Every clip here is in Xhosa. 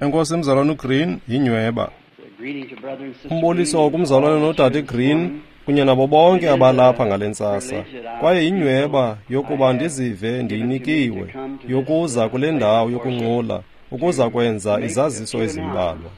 Enkosi mzalwana uGreen, yinyweba. Umboliso kumzalwana nodade Green kunye nabo bonke abalapha ngale ntsasa. Kwaye yinyweba yokuba ndizive ndiyinikiwe yokuza kule ndawo yokunqula ukuza kwenza izaziso ezimbalwa.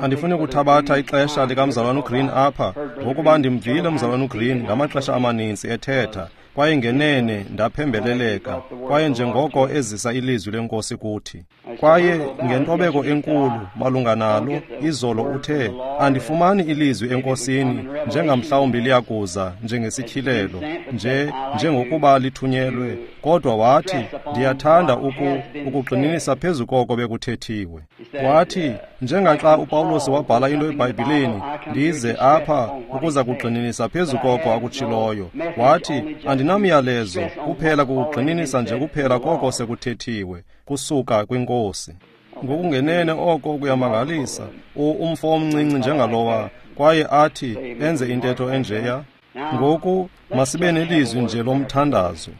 Andifuni kuthabatha ixesha likamzalwana uGreen apha, ngokuba ndimvile umzalwana uGreen ngamaxesha amaninzi ethetha, kwaye ngenene ndaphembeleleka, kwaye njengoko ezisa ilizwi lenkosi kuthi. Kwaye ngentobeko enkulu malunga nalo, izolo uthe, andifumani ilizwi enkosini, njengamhlawumbi liyakuza njengesityhilelo, nje njengokuba lithunyelwe, kodwa wathi, ndiyathanda ukugxininisa phezu koko bekuthethiwe. Wathi, njengaxa uPawulos wabhala into eBhayibhileni, ndize apha ukuza kugxininisa phezu koko akutshiloyo. Wathi, andinamyalezo, kuphela kukugxininisa nje kuphela koko sekuthethiwe, kusuka kwinkosi. Ngokungenene oko kuyamangalisa, umfo omncinci njengalowa, kwaye athi enze intetho enjeya. Ngoku masibe nelizwi nje lomthandazo.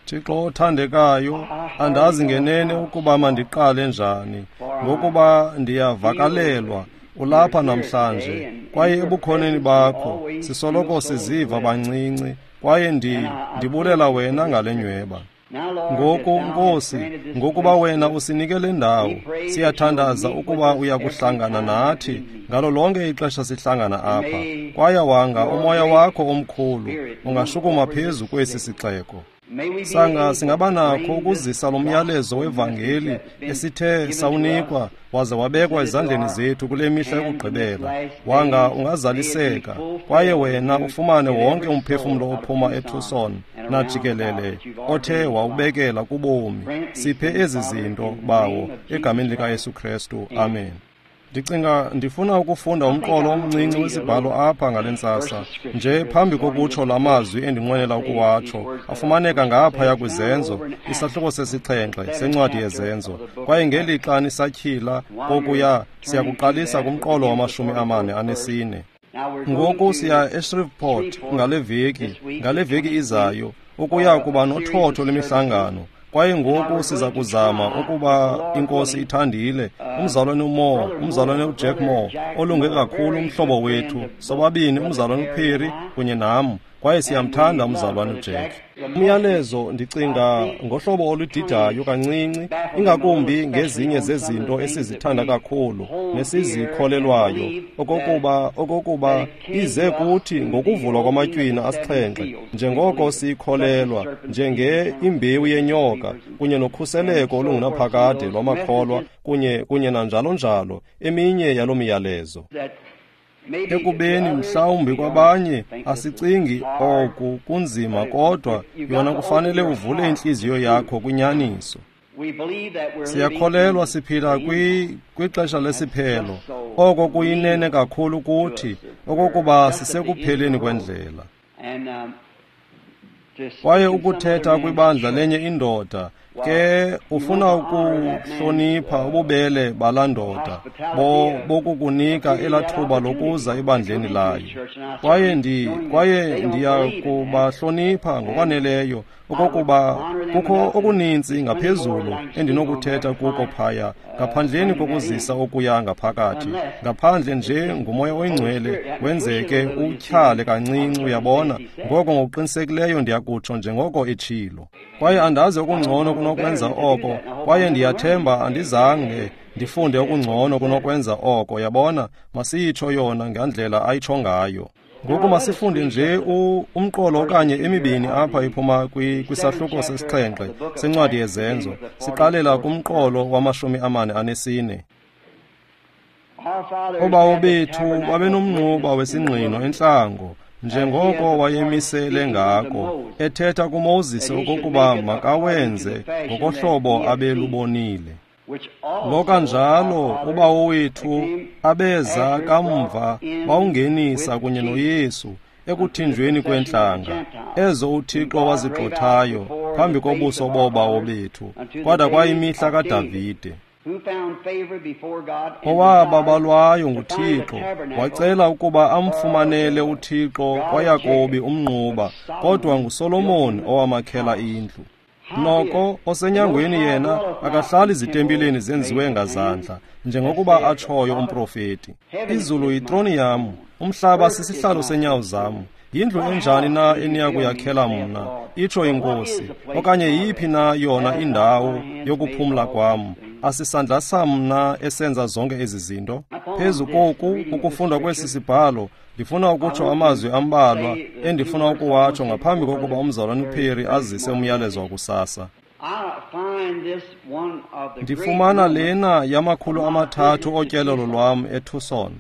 Thixo othandekayo, andazi ngenene ukuba mandiqale njani, ngokuba ndiyavakalelwa ulapha namhlanje, kwaye ebukhoneni bakho sisoloko siziva bancinci, kwaye ndibulela wena ngale nyweba. Ngoku, Nkosi, ngokuba wena usinike le ndawo, siyathandaza ukuba uyakuhlangana nathi ngalo lonke ixesha sihlangana apha, kwaye wanga umoya wakho omkhulu ungashukuma phezu kwesi sixeko. Sanga singaba nakho ukuzisa lo myalezo wevangeli esithe sawunikwa waze wabekwa ezandleni zethu kule mihla yokugqibela. Wanga ungazaliseka, kwaye wena ufumane wonke umphefumlo ophuma eTucson najikelele othe wawubekela kubomi. Siphe ezi zinto, Bawo, egameni likaYesu Kristu. Amen. Ndicinga ndifuna ukufunda umqolo omncinci wesibhalo apha ngale ntsasa, nje phambi kokutsho la mazwi endinqwenela ukuwatsho, afumaneka ngaphaya kwiZenzo, isahluko 7 sencwadi yeZenzo. Kwaye ngelixa nisatyhila kokuya, siyakuqalisa kumqolo wa-44. Ngoku siya eShreveport ngale veki izayo, ukuya kuba nothotho lwemihlangano. Kwaye ngoku siza kuzama ukuba inkosi ithandile, umzalwane uMoore, umzalwane uJack Moore, olunge kakhulu umhlobo wethu, sobabini umzalwane uPerry kunye nam, kwaye siyamthanda umzalwane uJack. Umyalezo ndicinga ngohlobo oludidayo kancinci, ingakumbi ngezinye zezinto esizithanda kakhulu nesizikholelwayo, okokuba ize kuthi ngokuvulwa kwamatywina 7, njengoko siyikholelwa njenge imbewu yenyoka kunye nokhuseleko olungunaphakade lwamakholwa kunye nanjalo njalo eminye yalo miyalezo. Ekubeni mhlawumbi kwabanye asicingi oku kunzima, kodwa yona kufanele uvule intliziyo yakho kwinyaniso. Siyakholelwa siphila kwixesha lesiphelo, oko kuyinene kakhulu kuthi okokuba sisekupheleni kwendlela. Kwaye ukuthetha kwibandla lenye indoda, ke ufuna ukuhlonipha ububele balaa ndoda bokukunika elathuba lokuza ebandleni layo. Kwaye ndiyakubahlonipha ngokwaneleyo okokuba kukho okuninzi ngaphezulu endinokuthetha kuko phaya, ngaphandleni kokuzisa okuya ngaphakathi, ngaphandle nje ngumoya oyingcwele wenzeke utyhale kancinci, uyabona. Ngoko ngokuqinisekileyo ndiyakutsho njengoko etshilo. Kwaye andazi okungcono kunokwenza oko, kwaye ndiyathemba andizange ndifunde okungcono kunokwenza oko, yabona. Masiyitsho yona ngandlela ayitsho ngayo. Ngoku masifunde nje umqolo okanye emibini apha iphuma kwisahluko 7 sencwadi yeZenzo, siqalela kumqolo wa-44. Obawo bethu babenomnquba wesingqino entlango, njengoko wayemisele ngako, ethetha kuMoses okokuba makawenze ngokohlobo abelubonile. Lo kanjalo ubawo wethu abeza kamva bawungenisa kunye noYesu ekuthinjweni kwentlanga, ezo uThixo wazigxothayo phambi kobuso bobawo bethu, kwada kwayimihla kaDavide, owababalwayo nguThixo, wacela ukuba amfumanele uThixo kwaYakobi umnquba, kodwa nguSolomon owamakhela indlu. Noko osenyangweni yena akahlali zitempileni zenziwe ngazandla, njengokuba atshoyo umprofeti. Izulu yitroni yam, umhlaba sisihlalo senyawo zam. Yindlu enjani na eniya kuyakhela mna, itsho iNkosi, okanye yiphi na yona indawo yokuphumla kwam? Asisandla sam na esenza zonke ezi zinto? Phezu koku ukufundwa kwesi sibhalo, ndifuna ukutsho amazwi ambalwa endifuna ukuwatsho ngaphambi kokuba umzalwane uPerry azise umyalezo wakusasa. Ndifumana lena yama-300 otyelelo lwam eTucson.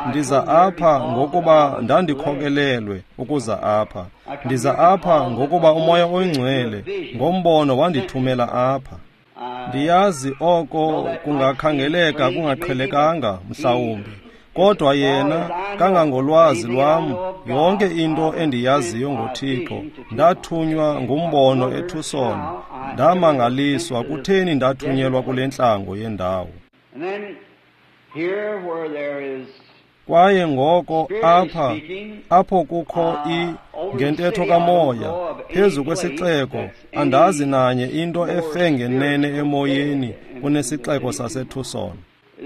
Ndiza apha ngokuba ndandikhokelelwe ukuza apha. Ndiza apha ngokuba uMoya oyiNgcwele ngombono wandithumela apha. Ndiyazi oko kungakhangeleka kungaqhelekanga mhlawumbi, kodwa yena kangangolwazi lwam, yonke into endiyaziyo ngoThixo, ndathunywa ngumbono eTucson. Ndamangaliswa kutheni ndathunyelwa kule ntlango yendawo. Kwaye ngoko apha, apho kukho ngentetho kamoya, phezu kwesixeko, andazi nanye into efe ngenene emoyeni kunesixeko saseTucson.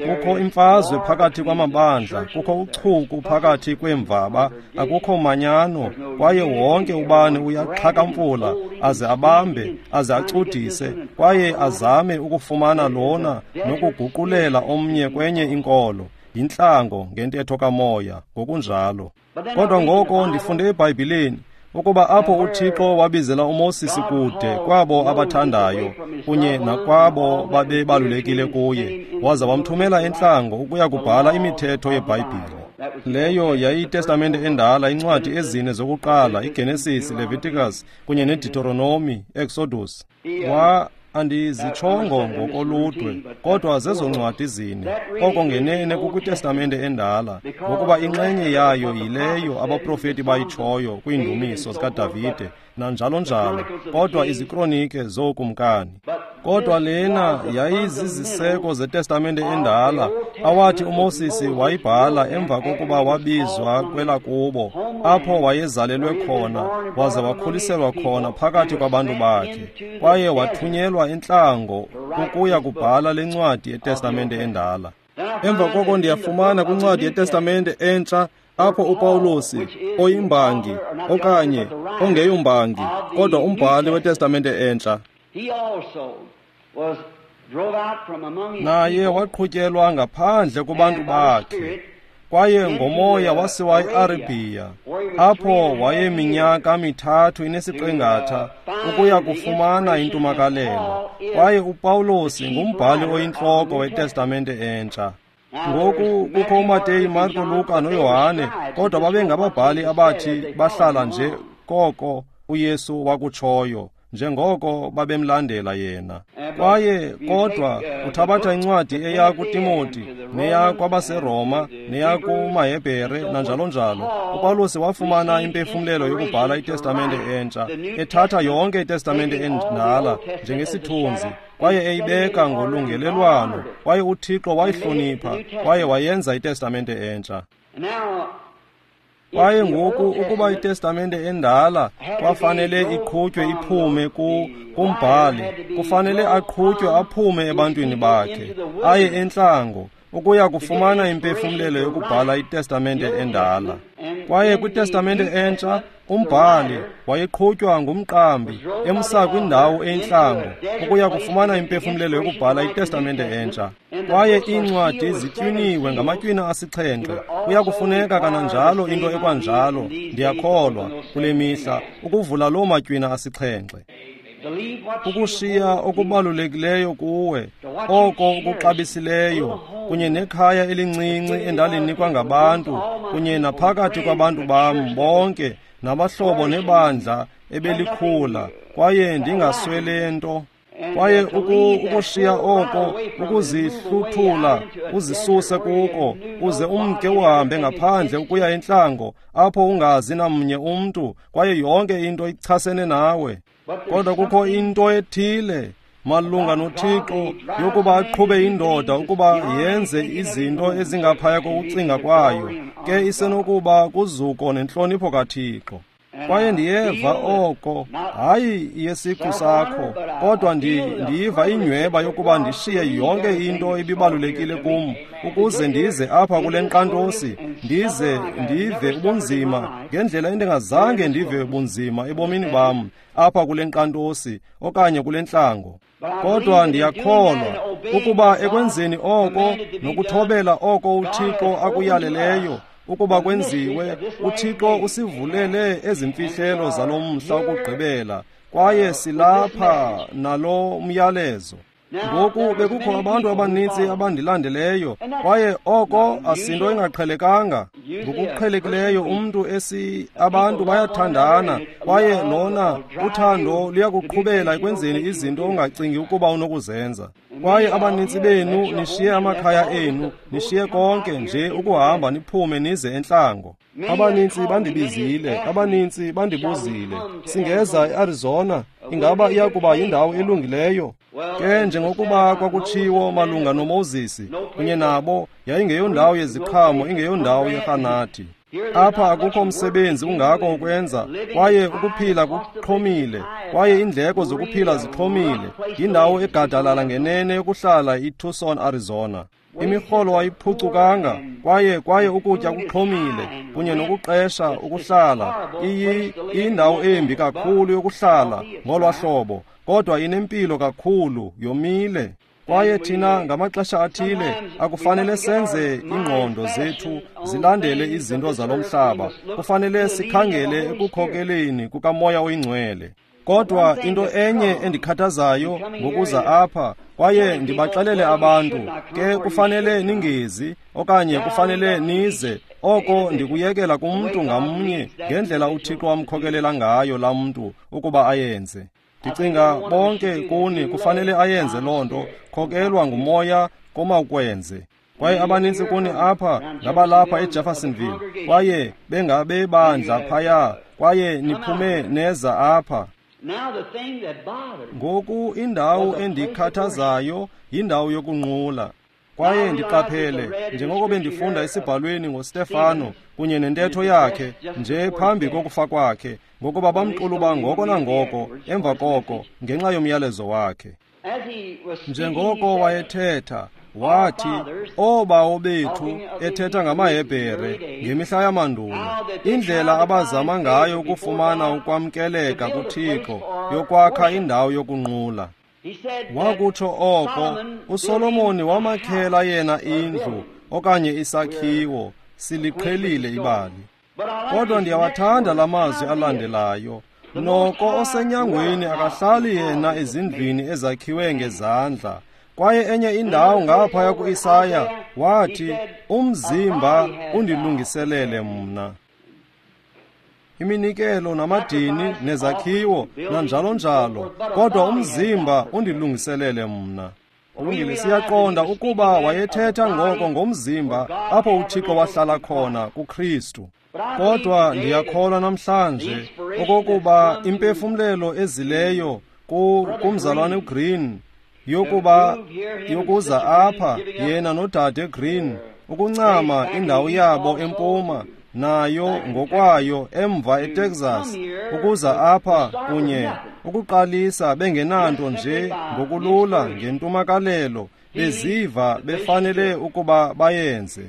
Kukho imfazwe phakathi kwamabandla, kukho uchuku phakathi kweemvaba, akukho manyano, kwaye wonke ubani uyaxhakamfula aze abambe, aze acudise, kwaye azame ukufumana lona nokuguqulela omnye kwenye inkolo. Yintlango ngentetho kamoya ngokunjalo. Kodwa ngoko ndifunde eBhayibhileni ukuba apho uThixo wabizela uMoses kude kwabo abathandayo kunye nakwabo babebalulekile kuye, waza wamthumela entlango ukuya kubhala imithetho yeBhayibhile. Leyo yayiyiTestamente endala, incwadi ezine zokuqala, iGenesis, Leviticus kunye neDeuteronomy, Exodus. Andizitshongo ngokoludwe, kodwa zezo ncwadi zine. Oko ngenene kukwiTestamente endala, ngokuba inxenye yayo yileyo abaprofeti bayitshoyo kwiindumiso zikaDavide nanjalo njalo, kodwa izikronike zookumkani. Kodwa lena yayiziziseko zeTestamente endala awathi uMoses wayibhala emva kokuba wabizwa kwelakubo, apho wayezalelwe khona waze wakhuliselwa khona phakathi kwabantu bakhe, kwaye wathunyelwa entlango ukuya kubhala le ncwadi yeTestamente endala. Emva koko ndiyafumana kwincwadi yeTestamente entsha apho uPawulosi oyimbangi okanye ongeyombangi kodwa umbhali weTestamente entsha, naye waqhutyelwa ngaphandle kubantu bakhe, kwaye ngomoya wasiwa eArabia, apho wayeminyaka 3 inesiqingatha ukuya kufumana intumakalelo. Kwaye uPawulosi ngumbhali oyintloko weTestamente entsha. Ngoku kukho uMateyu, Marko, Luka noYohane, kodwa babengababhali abathi bahlala nje koko uYesu wakutshoyo, njengoko babemlandela yena. Kwaye kodwa uthabatha incwadi eya kuTimoti, neya kwabaseRoma, neya kumaHebhere nanjalo njalo. uPawulosi wafumana impefumlelo yokubhala iTestamente entsha, ethatha yonke iTestamente endala njengesithunzi, kwaye eyibeka ngolungelelwano, kwaye uThixo wayihlonipha kwaye wayenza iTestamente entsha. Kwaye ngoku ukuba iTestamente endala kwafanele iqhutywe iphume kumbhali, kufanele aqhutywe aphume ebantwini bakhe, aye entlango ukuya kufumana impefumlelo yokubhala iTestamente endala. Kwaye kwiTestamente entsha umbhali wayeqhutywa ngumqambi emsa kwindawo entlango ukuya kufumana impefumlelo yokubhala iTestamente entsha. Kwaye iincwadi zitywiniwe ngamatywina 7. Kuya kufuneka kananjalo into ekwanjalo, ndiyakholwa, kule mihla ukuvula loo matywina 7. Ukushiya okubalulekileyo kuwe, oko ukuxabisileyo, kunye nekhaya elincinci endalinikwa ngabantu, kunye naphakathi kwabantu bam bonke, nabahlobo nebandla ebelikhula, kwaye ndingaswele nto. Kwaye ukushiya oko, ukuzihluthula, uzisuse kuko, uze umke uhambe ngaphandle ukuya entlango, apho ungazi namnye umntu, kwaye yonke into ichasene nawe. Kodwa kukho into ethile malunga noThixo yokuba aqhube indoda ukuba yenze izinto ezingaphaya kokucinga kwayo, ke isenokuba kuzuko nentlonipho kaThixo. Kwaye ndiyeva oko, hayi yesiqu sakho, kodwa ndiyiva inyweba yokuba ndishiye yonke into ebibalulekile kum, ukuze ndize apha kule nkqantosi, ndize ndive ubunzima ngendlela endingazange ndive bunzima ebomini bam apha kule nkqantosi okanye kule ntlango. Kodwa ndiyakholwa ukuba ekwenzeni oko nokuthobela oko uThixo akuyaleleyo ukuba kwenziwe, uThixo usivulele ezimfihlelo zalo mhla wokugqibela, kwaye silapha nalo myalezo. Ngoku bekukho abantu abaninzi abandilandeleyo, kwaye oko asinto ingaqhelekanga. Ngokuqhelekileyo umntu abantu bayathandana, kwaye lona uthando luyakuqhubela ekwenzeni izinto ongacingi ukuba unokuzenza. Kwaye abaninzi benu nishiye amakhaya enu, nishiye konke nje ukuhamba niphume nize entlango. Abaninzi bandibizile, abaninzi bandibuzile, singeza eArizona, ingaba iya kuba yindawo elungileyo? Ke njengokuba kwakutshiwo malunga noMoses kunye nabo, yayingeyondawo yeziqhamo, ingeyondawo yerharnati. Apha akukho msebenzi ungako ukwenza, kwaye ukuphila kuxhomile, kwaye iindleko zokuphila zixhomile. Yindawo egadalala ngenene yokuhlala iTucson, Arizona. Imirholo ayiphucukanga, kwaye ukutya kuxhomile, kunye nokuqesha ukuhlala. Iyindawo embi kakhulu yokuhlala ngolwa hlobo, kodwa inempilo kakhulu, yomile. Kwaye thina ngamaxesha athile akufanele senze ingqondo zethu zilandele izinto zalo mhlaba. Kufanele sikhangele ekukhokeleni kukaMoya oyiNgcwele. Kodwa into enye endikhathazayo ngokuza apha, kwaye ndibaxelele abantu, ke kufanele ningezi okanye kufanele nize, oko ndikuyekela kumntu ngamnye ngendlela uThixo amkhokelela ngayo laa mntu ukuba ayenze. Ndicinga bonke kuni kufanele ayenze loo nto, khokelwa nguMoya komawukwenze. Kwaye abanintsi kuni apha ngabalapha eJeffersonville, kwaye bengabebandla phaya, kwaye niphume neza apha. Ngoku indawo endikhathazayo yindawo yokunqula. Kwaye ndiqaphele njengoko bendifunda esibhalweni ngoStefano kunye nentetho yakhe nje phambi kokufa kwakhe, ngokuba bamxuluba ngoko nangoko emva koko ngenxa yomyalezo wakhe. Njengoko wayethetha, wathi, oobawo bethu, ethetha ngamaHebhere ngemihla yamandulo, indlela abazama ngayo ukufumana ukwamkeleka kuThixo yokwakha indawo yokunqula. Wakutsho oko, uSolomoni wamakhela yena indlu okanye isakhiwo, siliqhelile ibali. Kodwa ndiyawathanda la mazwi alandelayo. Noko osenyangweni akahlali yena ezindlwini ezakhiwe ngezandla. Kwaye enye indawo ngaphaya kuIsaya wathi, umzimba undilungiselele mna. Iminikelo namadini nezakhiwo nanjalo njalo, kodwa umzimba undilungiselele mna. Kulungile, siyaqonda ukuba wayethetha ngoko ngomzimba apho uThixo wahlala khona kuKristu. Kodwa ndiyakholwa namhlanje okokuba impefumlelo ezileyo kumzalwane uGreen yokuza apha yena nodade Green ukuncama indawo yabo empuma nayo ngokwayo emva eTexas ukuza apha kunye ukuqalisa bengenanto nje ngokulula ngentumakalelo beziva befanele ukuba bayenze.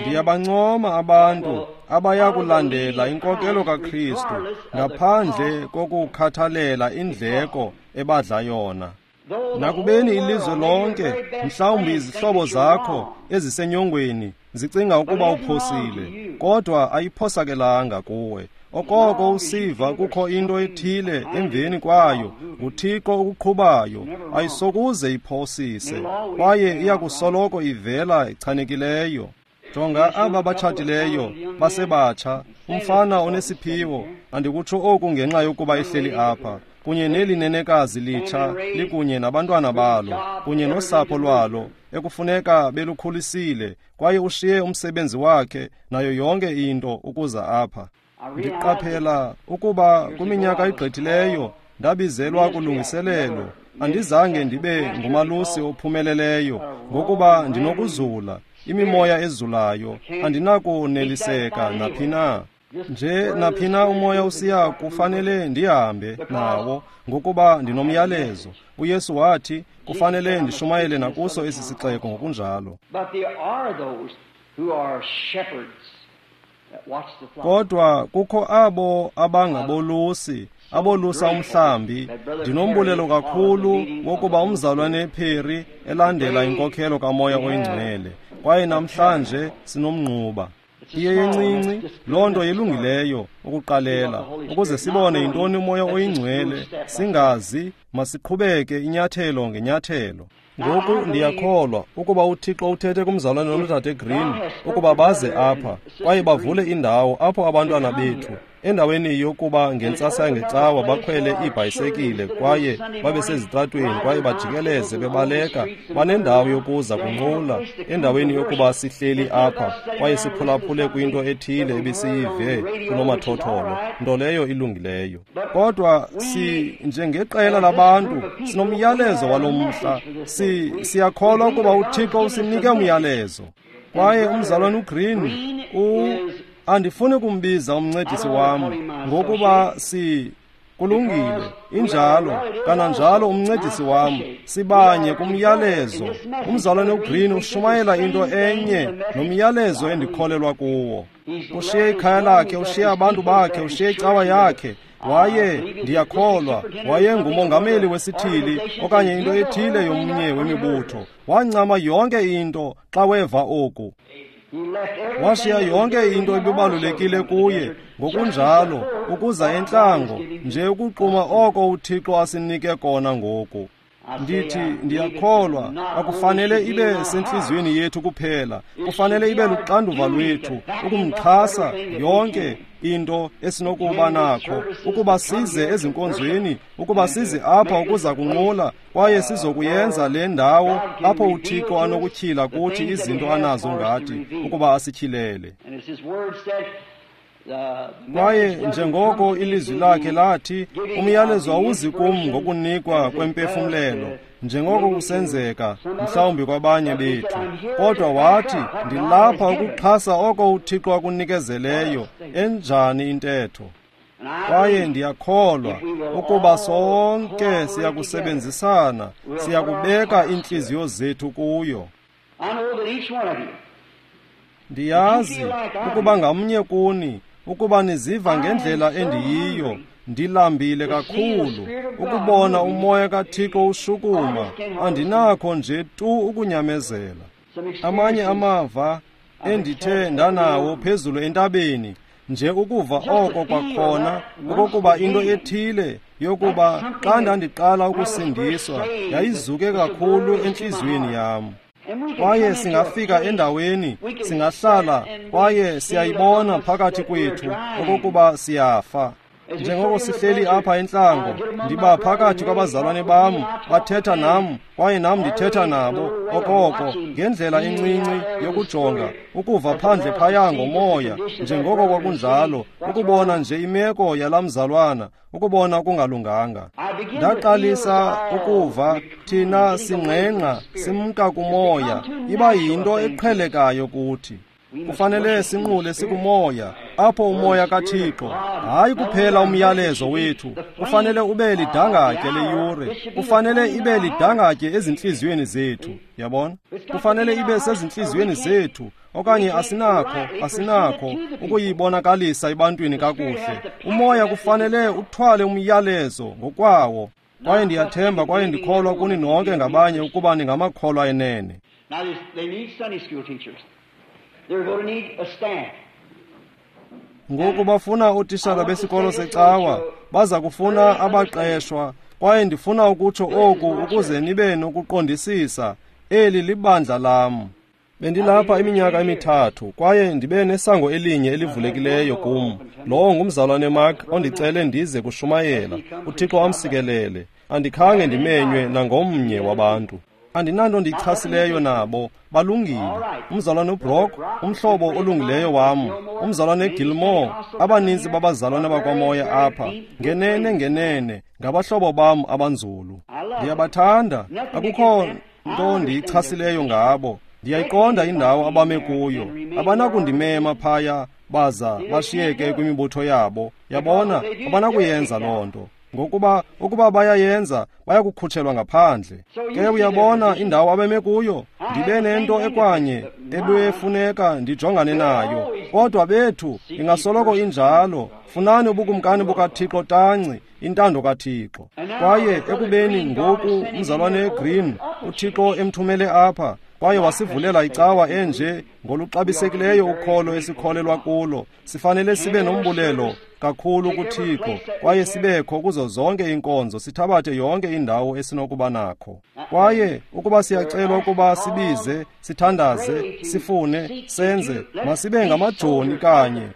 Ndiyabancoma abantu abayakulandela inkokelo kaKristu ngaphandle kokukhathalela indleko ebadla yona. Nakubeni ilizwe lonke, mhlawumbi izihlobo zakho ezisenyongweni zicinga ukuba uphosile, kodwa ayiphosakelanga kuwe. Okoko usiva kukho into ethile emveni kwayo, nguThixo okuqhubayo, ayisokuze iphosise, kwaye iyakusoloko ivela echanekileyo. Jonga aba batshatileyo basebatsha, umfana onesiphiwo, andikutsho oku ngenxa yokuba ehleli apha, kunye neli nenekazi litsha likunye nabantwana balo kunye nosapho lwalo ekufuneka belukhulisile, kwaye ushiye umsebenzi wakhe nayo yonke into ukuza apha. Ndiqaphela ukuba kwiminyaka egqithileyo ndabizelwa kulungiselelo, andizange ndibe ngumalusi ophumeleleyo ngokuba ndinokuzula, imimoya ezulayo, andinakuneliseka naphi na. Nje naphina umoya usiya kufanele ndihambe nawo, ngokuba ndinomyalezo. UYesu wathi kufanele ndishumayele nakuso esi sixeko ngokunjalo. Kodwa kukho abo abangabolusi, abolusa umhlambi. Ndinombulelo kakhulu wokuba umzalwane Perry elandela inkokhelo kaMoya oyiNgcwele, kwaye namhlanje sinomnquba. Iye yencinci loo nto yelungileyo ukuqalela, ukuze sibone yintoni uMoya oyiNgcwele. Singazi, masiqhubeke inyathelo ngenyathelo. Ngoku ndiyakholwa ukuba uThixo uthethe kumzalwane noDade Green ukuba baze apha kwaye bavule indawo apho abantwana bethu, endaweni yokuba ngentsasa yangecawa bakhwele iibhayisekile kwaye babe sezitratweni kwaye bajikeleze bebaleka, banendawo yokuza kunqula, endaweni yokuba sihleli apha kwaye siphulaphule kwinto ethile ebisiyive kunomathotholo, nto leyo ilungileyo. Kodwa si njengeqela labantu sinomyalezo walo mhla. Siyakholwa ukuba uThixo usinike umyalezo. Kwaye umzalwane uGreen andifuni kumbiza umncedisi wam, ngokuba kulungile, injalo, kananjalo umncedisi wam, sibanye kumyalezo. Umzalwane uGreen ushumayela into enye nomyalezo endikholelwa kuwo. Ushiye ikhaya lakhe, ushiye abantu bakhe, ushiye icawa yakhe. Waye, ndiyakholwa, wayengumongameli wesithili okanye into ethile yomnye wemibutho. Wancama yonke into xa weva oku. Washiya yonke into ebibalulekile kuye, ngokunjalo ukuza entlango nje ukuquma oko uThixo asinike kona ngoku. Ndithi ndiyakholwa akufanele ibe sentliziyweni yethu kuphela, kufanele ibe luxanduva lwethu ukumxhasa yonke into esinokuba nakho, ukuba size ezinkonzweni, ukuba size apha ukuza kunqula, kwaye sizokuyenza le ndawo apho uThixo anokutyhila kuthi izinto anazo ngathi ukuba asityhilele. Kwaye njengoko ilizwi lakhe lathi, umyalezo awuzi kum ngokunikwa kwempefumlelo, njengoko kusenzeka mhlawumbi kwabanye bethu, kodwa wathi ndilapha ukuxhasa oko uThixo akunikezeleyo. Enjani intetho! Kwaye ndiyakholwa ukuba sonke siyakusebenzisana, siyakubeka iintliziyo zethu kuyo. Ndiyazi ukuba ngamnye kuni, ukuba niziva ngendlela endiyiyo, ndilambile kakhulu ukubona umoya kaThixo ushukuma. Andinakho nje tu ukunyamezela. Amanye amava endithe ndanawo phezulu entabeni, nje ukuva oko kwakhona, okokuba into ethile yokuba xa ndandiqala ukusindiswa yayizuke kakhulu entliziyweni yam. Kwaye singafika endaweni, singahlala kwaye siyayibona phakathi kwethu okokuba siyafa. Njengoko sihleli apha entlango, ndiba phakathi kwabazalwane bam, bathetha nam kwaye nam ndithetha nabo okoko ngendlela encinci yokujonga, ukuva phandle phaya ngomoya, njengoko kwakunjalo, ukubona nje imeko yalaa mzalwana, ukubona okungalunganga. Ndaqalisa ukuva thina singqengqa simka kumoya, iba yinto eqhelekayo kuthi. Kufanele sinqule sikumoya, apho umoya kaThixo, hayi kuphela umyalezo wethu, kufanele ube lidangatye leyure, kufanele ibe lidangatye ezintliziyweni zethu. Yabona? Kufanele ibe sezintliziyweni zethu, okanye asinakho ukuyibonakalisa ebantwini kakuhle. Umoya kufanele uthwale umyalezo ngokwawo. Kwaye ndiyathemba kwaye ndikholwa kuni nonke ngabanye ukuba ningamakholwa enene. Ngoku bafuna ootishala besikolo secawa, baza kufuna abaqeshwa, kwaye ndifuna ukutsho oku ukuze nibe nokuqondisisa. Eli libandla lam. Bendilapha iminyaka emithathu kwaye ndibe nesango elinye elivulekileyo kum. Lowo ngumzalwane Mark ondicele ndize kushumayela. uThixo amsikelele. Andikhange ndimenywe nangomnye wabantu. Andinanto ndiyichasileyo nabo, balungile. Umzalwane uBrock, umhlobo olungileyo wam, umzalwane Gilmore, abaninzi babazalwane bakwamoya apha, ngenene ngenene ngabahlobo bam abanzulu. Ndiyabathanda, akukho nto ndiyichasileyo ngabo. Ndiyayiqonda indawo abame kuyo. Abanakundimema phaya baza bashiyeke kwimibutho yabo. Yabona, abanakuyenza loo nto. Ngokuba ukuba bayayenza, bayakukhutshelwa ngaphandle. Ke uyabona indawo abeme kuyo, ndibe nento ekwanye ebefuneka ndijongane nayo. Kodwa bethu ingasoloko injalo. Funani ubukumkani bukaThixo tanci, intando kaThixo. Kwaye ekubeni ngoku umzalwane Green uThixo emthumele apha, kwaye wasivulela icawa enje ngoluxabisekileyo ukholo esikholelwa kulo, sifanele sibe nombulelo kakhulu kuThixo, kwaye sibekho kuzo zonke iinkonzo, sithabathe yonke indawo esinokuba nakho. Kwaye ukuba siyacelwa ukuba sibize, sithandaze, sifune, senze, masibe ngamajoni kanye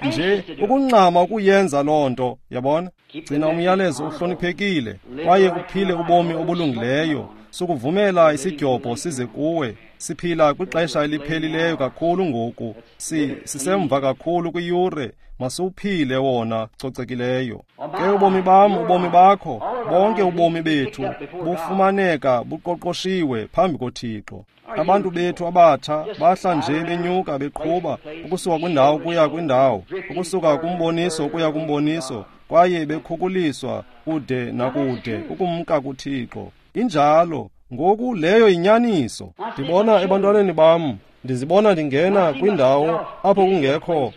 nje ukungxama ukuyenza loo nto. Yabona, gcina umyalezo uhloniphekile kwaye uphile ubomi obulungileyo. Sukuvumela isidyobho size kuwe. Siphila kwixesha eliphelileyo kakhulu ngoku, sisemva kakhulu kwiyure. Masiwuphile wona cocekileyo. Ke ubomi bam, ubomi bakho, bonke ubomi bethu bufumaneka buqoqoshiwe phambi koThixo. Abantu bethu abatsha bahla nje benyuka beqhuba ukusuka kwindawo kuya kwindawo, ukusuka kumboniso kuya kumboniso, kwaye bekhukuliswa kude nakude ukumka kuThixo. Injalo. Ngoku leyo yinyaniso. Ndibona ebantwaneni bam, ndizibona ndingena kwindawo apho kungekho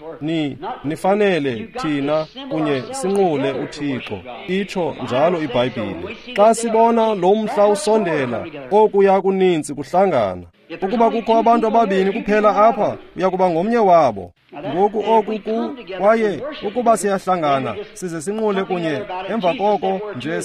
nifanele thina kunye sinqule uThixo, itsho njalo iBhayibhile. Xa sibona lo mhla usondela, okuya kuninzi kuhlangana. Ukuba kukho abantu ababini kuphela apha, uyakuba ngomnye wabo. Ngoku oku kwaye ukuba siyahlangana size sinqule kunye, emva koko nje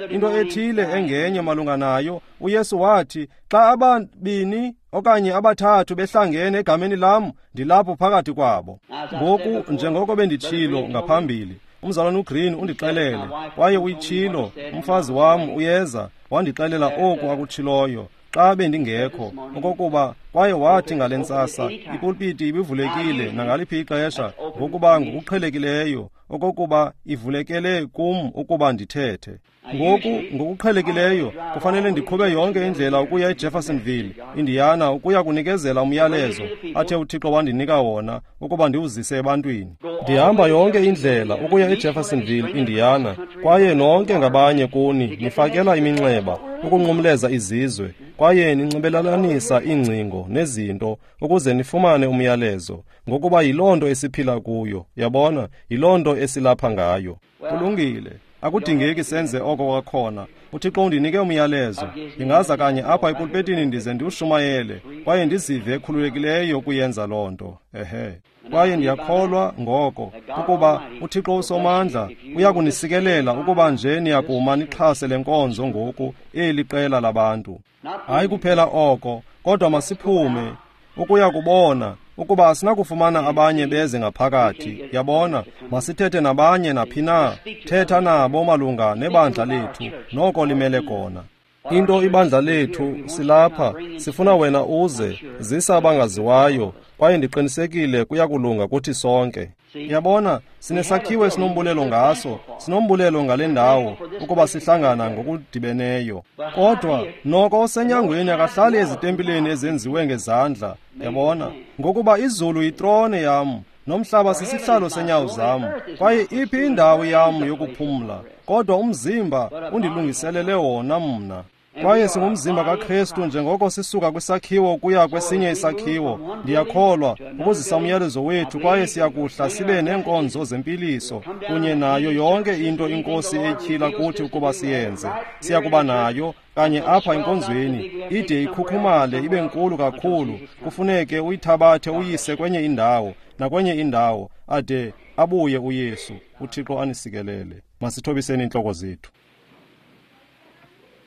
into ethile engenye malunga nayo. uYesu wathi, xa ababini okanye abathathu behlangene egameni lam, ndilapho phakathi kwabo. Ngoku njengoko benditshilo ngaphambili, umzalwane uGreen undixelele, kwaye uyitshilo, umfazi wam uyeza wandixelela oku akutshiloyo xa bendingekho, okokuba kwaye wathi ngale ntsasa ipulpiti ibivulekile nangaliphi ixesha, ngokuba ngokuqhelekileyo okokuba ivulekele kum ukuba ndithethe. Ngoku ngokuqhelekileyo kufanele ndiqhube yonke indlela ukuya eJeffersonville, Indiana, ukuya kunikezela umyalezo athe uThixo wandinika wona ukuba ndiwuzise ebantwini. Ndihamba yonke indlela ukuya eJeffersonville, Indiana, kwaye nonke ngabanye kuni nifakela iminxeba ukunqumleza izizwe, kwaye ninxibelelanisa iingcingo nezinto ukuze nifumane umyalezo, ngokuba yiloo nto esiphila kuyo. Yabona, yiloo nto esilapha ngayo. Kulungile, akudingeki senze oko kwakhona. uThixo undinike umyalezo. Ndingaza kanye apha epulpetini ndize ndiwushumayele, kwaye ndizive ekhululekileyo ukuyenza loo nto. Ehe. Kwaye ndiyakholwa ngoko ukuba uThixo usomandla uyakunisikelela ukuba nje niyakuma nixhase le nkonzo ngoku, eli qela labantu. Hayi kuphela oko, kodwa masiphume ukuya kubona ukuba asinakufumana abanye beze ngaphakathi. Yabona, masithethe nabanye naphi na. Thetha nabo malunga nebandla lethu, noko limele kona. Into ibandla lethu, silapha, sifuna wena uze, zisa abangaziwayo, kwaye ndiqinisekile kuyakulunga kuthi sonke. Yabona, sinesakhiwo esinombulelo ngaso, sinombulelo ngale ndawo, ukuba sihlangana ngokudibeneyo. Kodwa noko osenyangweni akahlali ezitempileni ezenziwe ngezandla. Yabona, ngokuba izulu yitrone yam, nomhlaba sisihlalo senyawo zam, kwaye iphi indawo yam yokuphumla? Kodwa umzimba undilungiselele wona mna. Kwaye singumzimba kaKristu njengoko sisuka kwisakhiwo kuya kwesinye isakhiwo. Ndiyakholwa ukuzisa umyalezo wethu, kwaye siyakuhla sibe neenkonzo zempiliso kunye nayo yonke into iNkosi etyhila kuthi ukuba siyenze. Siyakuba nayo kanye apha enkonzweni, ide ikhukhumale ibe nkulu kakhulu, kufuneke uyithabathe uyise kwenye indawo nakwenye indawo, ade abuye uYesu. uThixo anisikelele. Masithobiseni iintloko zethu.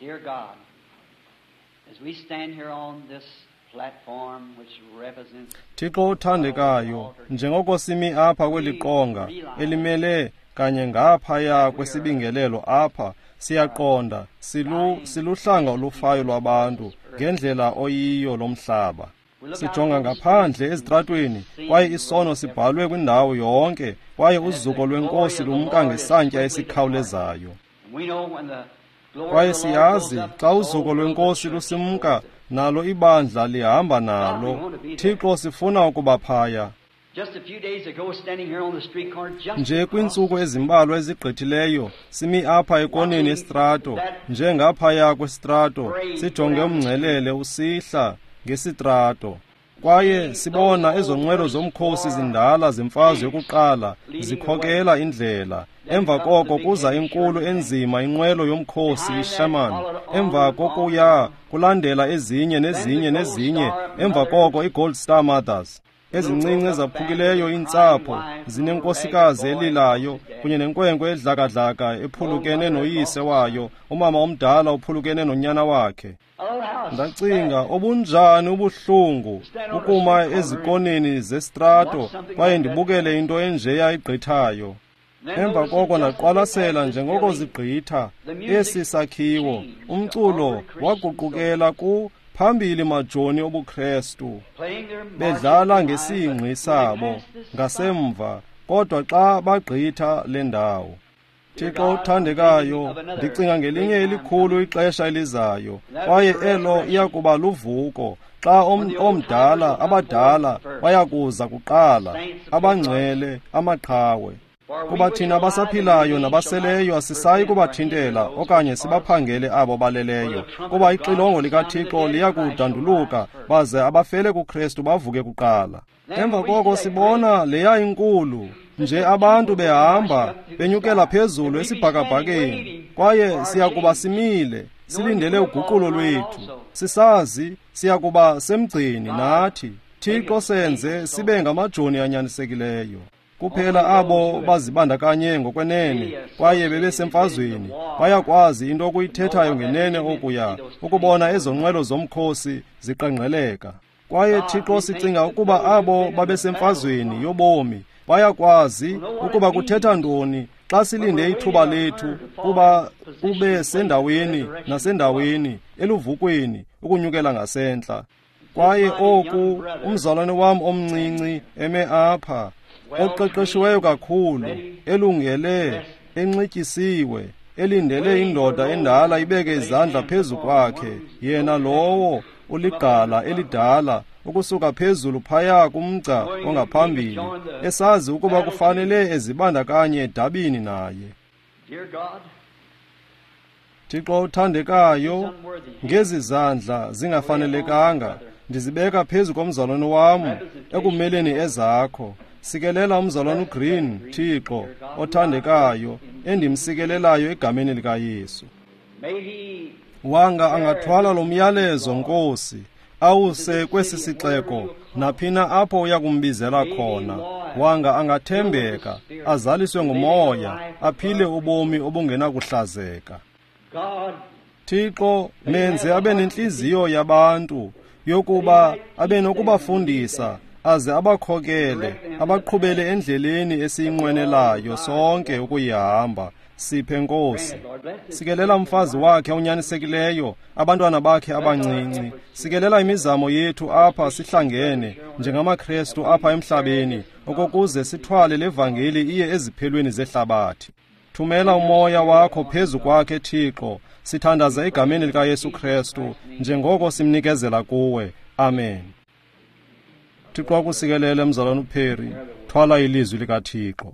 Dear God, as we stand here on this platform which represents Thixo othandekayo, njengoko simi apha kweli qonga elimele kanye ngaphaya kwesibingelelo apha, siyaqonda siluhlanga olufayo lwabantu ngendlela oyiyo lomhlaba. Sijonga ngaphandle ezitratweni, kwaye isono sibhalwe kwindawo yonke, kwaye uzuko lweNkosi lumka ngesantya esikhawulezayo. Kwaye siyazi xa uzuko lweNkosi lusimka, nalo ibandla lihamba nalo. Thixo, sifuna ukuba phaya. Nje kwiintsuku ezimbalwa ezigqithileyo simi apha ekoneni yesitrato, njengaphaya kwesitrato, sijonge umngcelele usihla ngesitrato. Kwaye sibona ezo nqwelo zomkhosi zindala zemfazwe yokuqala zikhokela indlela. Emva koko kuza inkulu enzima inqwelo yomkhosi iSherman. Emva kokuya kulandela ezinye nezinye nezinye. Emva koko iGold Star Mothers. Ezincinci ezaphukileyo iintsapho zinenkosikazi elilayo kunye nenkwenkwe edlakadlaka ephulukene noyise wayo, umama omdala uphulukene nonyana wakhe. Ndacinga, obunjani ubuhlungu ukuma ezikoneni zesitrato kwaye ndibukele into enjeya igqithayo. Emva koko ndaqwalasela njengoko zigqitha esi sakhiwo, umculo waguqukela ku phambili majoni obuKrestu, bedlala ngesingqi sabo ngasemva, kodwa xa bagqitha le ndawo. Thixo othandekayo, ndicinga ngelinye elikhulu ixesha elizayo, kwaye elo iyakuba luvuko, xa omdala abadala bayakuza kuqala, abangcwele, amaqhawe. Kuba thina abasaphilayo nabaseleyo asisayi kubathintela okanye sibaphangele abo baleleyo, kuba ixilongo likaThixo liyakudanduluka baze abafele kuKrestu bavuke kuqala. Emva koko sibona leya inkulu nje abantu behamba benyukela phezulu esibhakabhakeni, kwaye siyakuba simile silindele uguqulo lwethu, sisazi siyakuba semgceni nathi. Thixo senze sibe ngamajoni anyanisekileyo. Kuphela abo bazibandakanye ngokwenene kwaye bebesemfazweni bayakwazi into okuyithethayo ngenene okuya ukubona ezo nqwelo zomkhosi ziqengqeleka. Kwaye Thixo sicinga ukuba abo babesemfazweni yobomi bayakwazi ukuba kuthetha ntoni xa silinde ithuba lethu kuba kube sendaweni nasendaweni eluvukweni ukunyukela ngasentla. Kwaye oku umzalwane wam omncinci eme apha, oqeqeshiweyo kakhulu, elungele, enxityisiwe, elindele indoda endala ibeke izandla phezu kwakhe, yena lowo uligqala elidala ukusuka phezulu phaya kumgca ongaphambili, esazi ukuba kufanele ezibandakanye edabini naye. Thixo othandekayo, ngezi zandla zingafanelekanga ndizibeka phezu komzalwane wam ekumeleni ezakho. Sikelela umzalwane uGreen, Thixo othandekayo, endimsikelelayo egameni likaYesu. Wanga angathwala lo myalezo, Nkosi, awuse kwesi sixeko naphina apho uyakumbizela khona. Wanga angathembeka, azaliswe nguMoya, aphile ubomi obungenakuhlazeka. Thixo, menze abe nentliziyo yabantu yokuba abe nokubafundisa aze abakhokele, abaqhubele endleleni esiyinqwenelayo sonke ukuyihamba. Siphe Nkosi. Sikelela umfazi wakhe onyanisekileyo, abantwana bakhe abancinci. Sikelela imizamo yethu apha sihlangene njengamaKrestu apha emhlabeni, okokuze sithwale le vangeli iye eziphelweni zehlabathi. Thumela umoya wakho phezu kwakhe, Thixo. Sithandaza egameni likaYesu Krestu njengoko simnikezela kuwe. Amen. Thixo akusikelele, mzalwana uPerry. Thwala ilizwi likaThixo.